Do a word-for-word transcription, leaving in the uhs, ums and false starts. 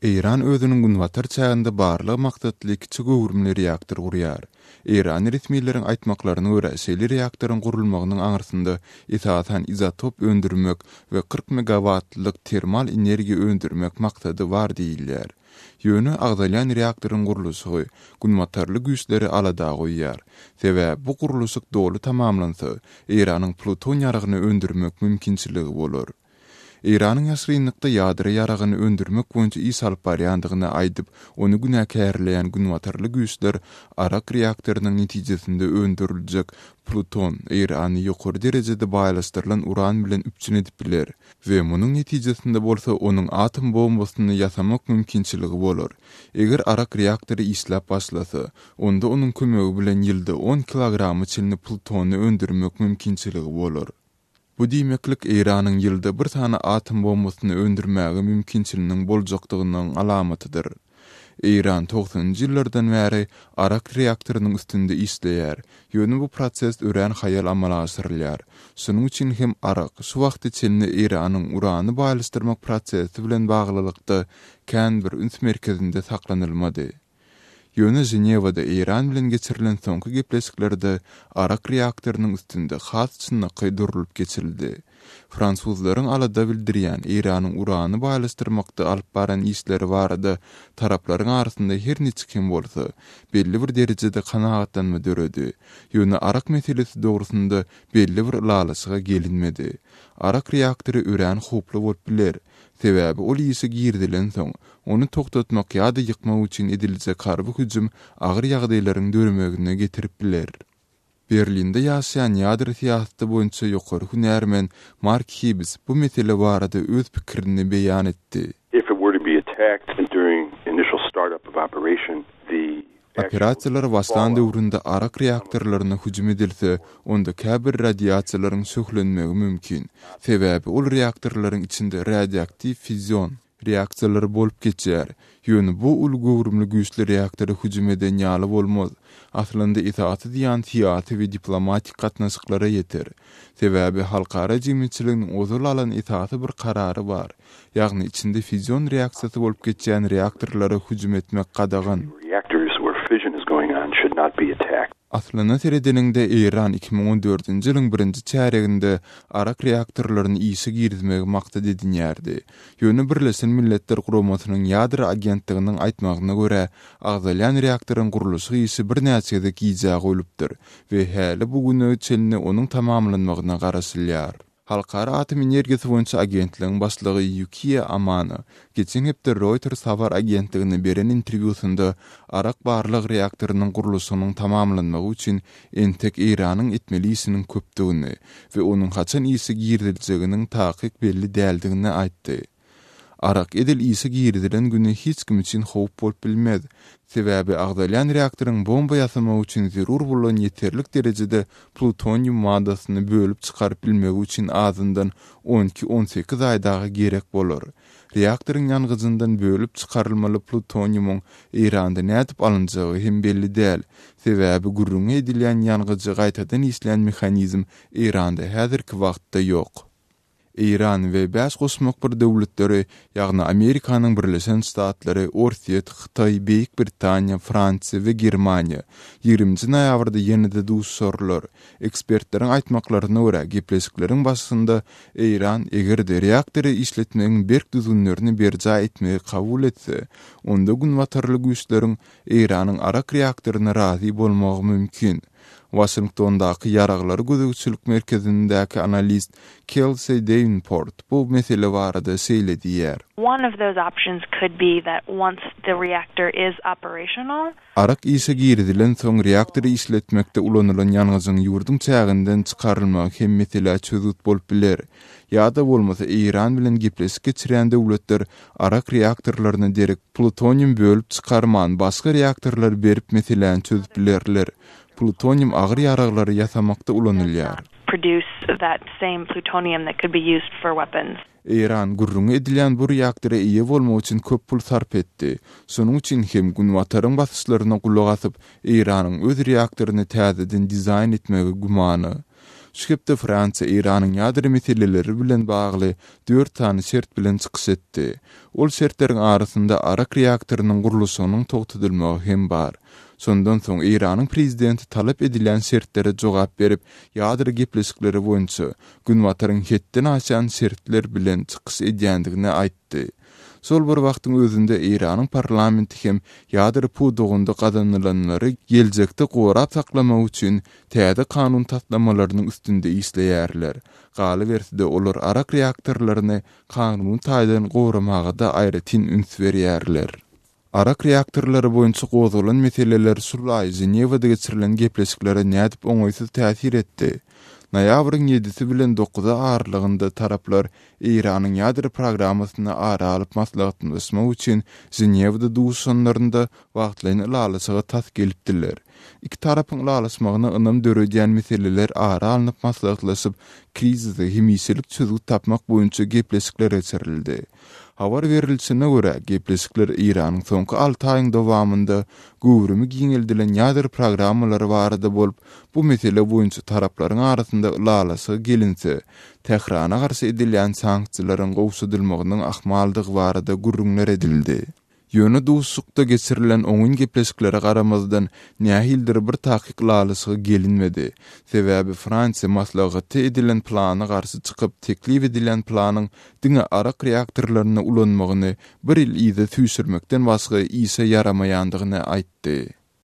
Eýran özüniň günbatar çäginde barlag maksatly kiçi göwrümli reaktor gurýar. Eýranly resmileriň aýtmaklaryna görä, şeýle reaktoryň gurulmagynyň aňyrsynda esasan izotop öndürmek we kyrk megawattlyk termal energiýa öndürmek maksady bar diýilýär. Ýöne agzalýan reaktoryň gurluşygy günbatarly güýçleri alada goýýar. Sebäbi bu gurluşyk doly tamamlansa, Eýranyň pluton ýaragyny öndürmek mümkinçiligi bolar. Eýranyň ýaşrynlykda ýadro ýaragyny öndürmek boýunça iş alyp barýandygyny aýdyp, ony günäkärleýän günbatarly güýçler Arak reaktorynyň netijesinde öndüriljek pluton Eýrany ýokary derejede baýlaşdyrylan uran bilen üpjün edip biler we munuň netijesinde bolsa onuň atom bombasyny ýasamak mümkinçiligi bolar. Eger Arak reaktory işläp başlasa, onda onuň kömegi bilen ýylda on kilograma çenli plutony öndürmek mümkinçiligi bolar. Bu diýmeklik Eýranyň ýylda bir sany atom bombasyny öndürmäge mümkinçiliginiň boljakdygynyň alamatydyr. Eýran togsanynjy ýyllardan bäri Arak reaktorynyň üstünde işleýär. Ýöne bu proses örän haýal amala aşyrylýar. Şonuň üçin hem Arak şu wagta çenli Eýranyň urany baýlaşdyrmak prosesi bilen baglylykda kän bir üns merkezinde saklanylmady. Ýöne Ženewada Eýran bilen geçirilen soňky gepleşiklerde Arak reaktorynyň üstünde has çynlakaý durulyp geçirildi. Fransuzlaryň alada bildirýän Eýranyň urany baýlaşdyrmakda alyp baran işleri barada taraplaryň arasynda her niçik hem bolsa belli bir derejede kanagatlanma döredi. Ýöne Arak meselesi dogrusynda belli bir ylalaşyga gelinmedi. Arak reaktory örän howply bolup biler. Sebäbi ol işe girizilen soň, ony togtatmak ýa-da ýykmak üçin ediljek harby hüjüm agyr ýagdaýlaryň döremegine getirip biler. Berlinde ýaşaýan ýadro syýasaty boýunça ýokary hünärmen Mark Hibbs bu mesele barada öz pikirini beýan etdi. If it were to be attacked during initial startup of operation, the Operasiýalar başlan döwründe Arak reaktorlaryna hüjüm edilse, onda käbir radiasiýalaryň şöhlenmegi mümkin. Sebäbi ol reaktorlaryň içinde radioaktiw fizion reaksiýalary bolup geçýär. Ýöne bu uly göwrümli güýçli reaktora hüjüm eden ýaly bolmaz. Aslynda esasy zyýan syýasy we diplomatik gatnaşyklara ýeter. Sebäbi halkara jemgyýetçiliginiň ozal alan esasy bir karary bar. Ýagny içinde fizion reaksiýasy bolup geçýän reaktorlara hüjüm etmek gadagan. Reactors where fission is going on should not be attacked. Aslynda seredeniňde Eýran iki müň on dördünji ýylyň birinji çärýeginde Arak reaktorlaryny işe girizmegi maksat edinýärdi. Ýöne Birleşen Milletler Guramasynyň ýadro agentliginiň aýtmagyna görä, agzalýan reaktoryň gurluşyk işi birnäçe gezek gijä goýlupdyr we häli bu güne çenli onuň tamamlanmagyna garaşylýar. Halkara atom energiýasy boýunça agentligiň başlygy Ýukiýa Amano geçen hepde Reuters habar agentligine beren interwýusynda Arak barlag reaktorynyň gurluşygynyň tamamlanmagy üçin entek Eýranyň etmeli işiniň köpdügini we onuň haçan işe giriziljeginiň takyk belli däldigini aýtdy. Arak edil işe girizilen güni hiç kim üçin howp bolup bilmez. Sebäbi agzalýan reaktoryň bomba ýasamak üçin zerur bolan ýeterlik derejede plutonium maddasyny bölüp çykaryp bilmegi üçin azyndan on iki-on sekiz aý dagy gerek bolar. Reaktoryň ýangyjyndan bölüp çykarylmaly plutoniumyň Eýranda nädip alynjagy hem belli däl. Sebäbi gürrüňi edilýän ýangyjy gaýtadan işleýän mehanizm Eýranda häzirki wagtda ýok. Eýran we bäş goşmak bir döwletleri, ýagny Amerikanyň Birleşen Ştatlary, Orsýet, Hytaý, Beýik Britaniýa, Fransiýa we Germaniýa ýigriminji noýabrda ýene-de duşuşarlar. Ekspertleriň aýtmaklaryna görä, gepleşikleriň başynda Eýran eger-de reaktory işletmegiň berk düzgünlerini berjaý etmegi kabul etse, onda günbatarly güýçleriň Eýranyň Arak reaktoryna razy bolmagy mümkin. Waşingtondaky ýaraglary gözegçilik merkezindäki analist Kelsey Davenport bu mesele barada şeýle diýýär. One of those options could be that once the reactor is operational, Arak işe girizilen soň reaktory işletmekde ulanylan ýangyjyň ýurduň çäginden çykarylmagy hem meselä çözgüt bolup biler. Ýa-da bolmasa Eýran bilen gepleşik geçirýän döwletler Arak reaktorlaryna derek plutonium bölüp çykarman başga reaktorlar berip meseläni çözüp bilerler. Plutonium agyr ýaraglary ýasamakda ulanylýar. Produce that same plutonium that could be used for weapons. Eýran gürrüňi edilýän bu reaktora eýe bolmak üçin köp pul sarp etdi. Şonuň üçin hem Günbataryň basyşlaryna gulak asyp, Eýranyň öz reaktoryny täzeden dizaýn etmegi gümana. Şu hepde Fransiýa Eýranyň ýadro meseleleri bilen bagly dört sany şert bilen çykyş etdi. Ol şertleriň arasynda Arak reaktorynyň gurluşygynyň togtadylmagy hem bar. Şondan soň Eýranyň prezidenti talap edilen şertlere jogap berip, ýadro gepleşikleri boýunça Günbataryň hetden aşan şertler bilen çykyş edýändigini aýtdy. Şol bir wagtyň özünde Eýranyň parlamenti hem ýadro pudagynda gazanylanlary geljekde gorap saklamak üçin täze kanun taslamalarynyň üstünde işleýärler. Galyberse-de olar Arak reaktorlaryny kanuny taýdan goramaga da aýratyn üns berýärler. Arak reaktorlary boýunça gozgalan meseleler şul aý Ženewada geçirilen gepleşiklere nädip oňaýsyz täsir etdi. Noýabryň ýedisi bilen dokuzy aralygynda taraplar Eýranyň ýadro programmasyny ara alyp maslahatlaşmak üçin Ženewada duşuşanlarynda wagtlaýyn ylalaşyga tas gelipdiler. Iki tarapyň ylalaşmagyna ynam döredýän meseleler ara alnyp maslahatlaşyp, krizise hemişelik çözgüt tapmak boýunça gepleşikler geçirildi. Habar berilişine görä, gepleşikler Eýranyň soňky alty aýyň dowamynda göwrümi giňeldilen ýadro programmalary barada bolup, bu mesele boýunça taraplaryň arasynda ylalaşyga gelinse, Tährana garşy edilýän sanksiýalaryň gowşadylmagynyň ahmaldygy barada gürrüňler edildi. Ýöne duşuşykda geçirilen oňyn gepleşiklere garamazdan nähilidir bir takyk ylalaşyga gelinmedi. Sebäbi Fransiýa maslahaty edilen plana garşy çykyp, teklip edilen planyň diňe Arak reaktorlaryny ulanmagyny bir ýyl yza süýşürmekden başga işe ýaramaýandygyny aýtdy.